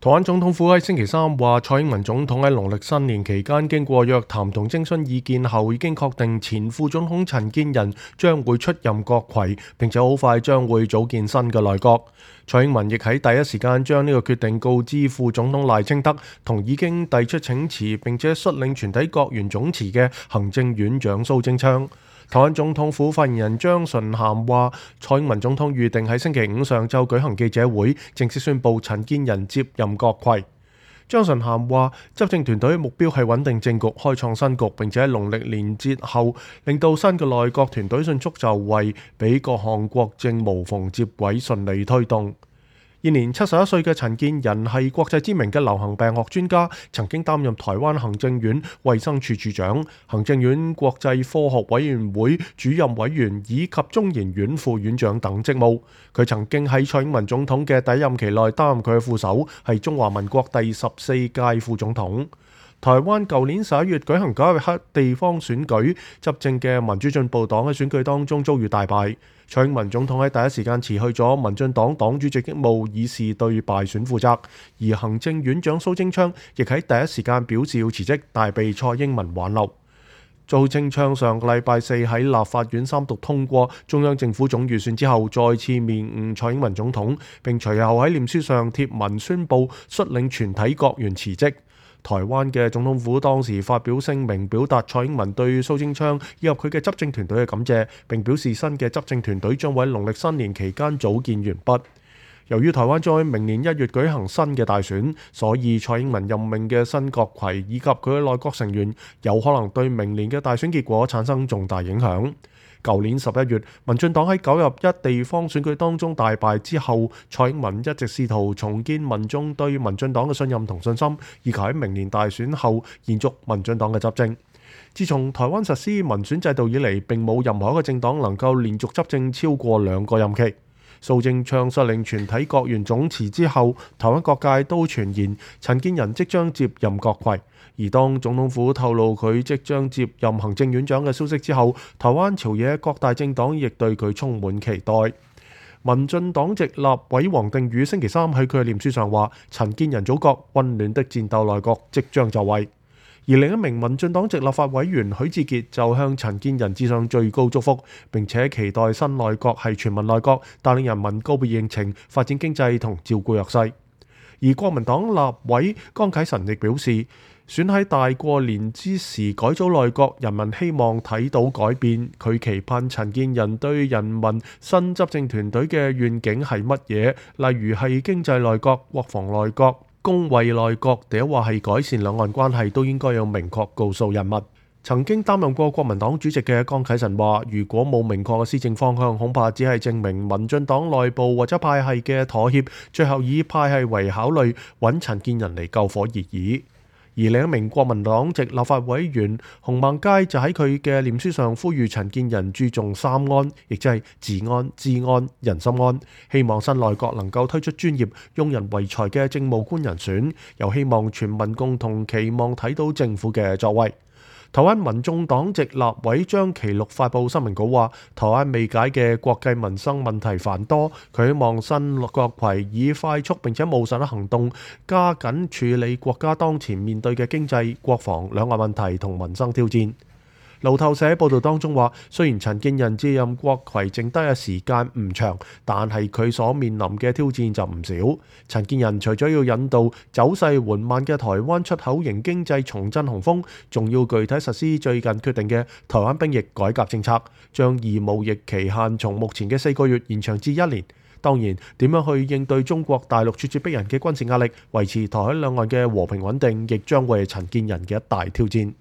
台灣總統府喺星期三話，蔡英文總統喺農曆新年期間經過約談同徵詢意見後，已經確定前副總統陳建仁將會出任閣揆，並且好快將會組建新嘅內閣。蔡英文亦喺第一時間將呢個決定告知副總統賴清德同已經遞出請辭並且率領全體閣員總辭嘅行政院長蘇貞昌。台灣總統府發言人張純涵話，蔡英文總統預定喺星期五上晝舉行記者會，正式宣布陳建仁接任閣揆。張純涵話，執政團隊目標係穩定政局、開創新局，並且喺農曆年節後令到新嘅內閣團隊迅速就位，俾各項國政無縫接軌，順利推動。現年71歲嘅陳建仁係國際知名嘅流行病學專家，曾經擔任台灣行政院衛生署署長、行政院國際科學委員會主任委員以及中研院副院長等職務。佢曾經喺蔡英文總統嘅第一任期內擔任佢嘅副手，係中華民國第14屆副總統。台灣舊年11月舉行9合一地方選舉，執政嘅民主進步黨喺選舉當中遭遇大敗。蔡英文總統喺第一時間辭去咗民進黨黨主席職務，以示對敗選負責。而行政院長蘇貞昌亦喺第一時間表示要辭職，但被蔡英文挽留。蘇貞昌上個禮拜四喺立法院三讀通過中央政府總預算之後，再次面晤蔡英文總統，並隨後喺臉書上貼文宣布率領全體閣員辭職。台灣嘅總統府當時發表聲明，表達蔡英文對蘇貞昌以及佢嘅執政團隊嘅感謝，並表示新嘅執政團隊將會喺農曆新年期間組建完畢。由於台灣將喺明年1月舉行新嘅大選，所以蔡英文任命嘅新閣揆以及佢嘅內閣成員有可能對明年嘅大選結果產生重大影響。舊年11月，民進黨喺9合一地方選舉當中大敗之後，蔡英文一直試圖重建民眾對民進黨嘅信任同信心，以及喺明年大選後延續民進黨嘅執政。自從台灣實施民選制度以嚟，並冇任何一個政黨能夠連續執政超過2個任期。蘇貞昌率領全體閣員總辭之後，台灣各界都傳言陳建仁即將接任閣揆。而當總統府透露佢即將接任行政院長嘅消息之後，台灣朝野各大政黨亦對佢充滿期待。民進黨籍立委王定宇星期三喺佢嘅臉書上話，陳建仁組閣溫暖的戰鬥內閣即將就位。而另一名民進黨籍立法委員許智傑就向陳建仁致上最高祝福，並且期待新內閣係全民內閣，帶領人民告別疫情、發展經濟同照顧弱勢。而國民黨立委江啟臣亦表示，選喺大過年之時改組內閣，人民希望睇到改變。佢期盼陳建仁對人民新執政團隊嘅願景係乜嘢，例如係經濟內閣、國防內閣、公衛內閣，或話係改善兩岸關係，都應該有明確告訴人民。曾經擔任過國民黨主席嘅江啟臣話，如果冇明確嘅施政方向，恐怕只係證明民進黨內部或者派系嘅妥協，最後以派系為考慮，揾陳建仁嚟救火而已。而另一名國民黨籍立法委員洪孟佳就喺佢嘅臉書上呼籲陳建仁注重3安，亦即係治安、治安、人心安，希望新內閣能夠推出專業、用人唯才嘅政務官人選，又希望全民共同期望睇到政府嘅作為。台灣民眾黨籍立委張其祿發布新聞稿話，台灣未解嘅國計民生問題繁多，佢希望新閣揆以快速並且務實嘅行動，加緊處理國家當前面對嘅經濟、國防、兩岸問題同民生挑戰。路透社報道當中話，雖然陳建仁接任閣揆剩低嘅時間唔長，但係佢所面臨嘅挑戰就唔少。陳建仁除咗要引導走勢緩慢嘅台灣出口型經濟重振雄風，仲要具體實施最近決定嘅台灣兵役改革政策，將義務役期限從目前嘅4個月延長至1年。當然，點樣去應對中國大陸咄咄逼人嘅軍事壓力，維持台海兩岸嘅和平穩定，亦將會係陳建仁嘅一大挑戰。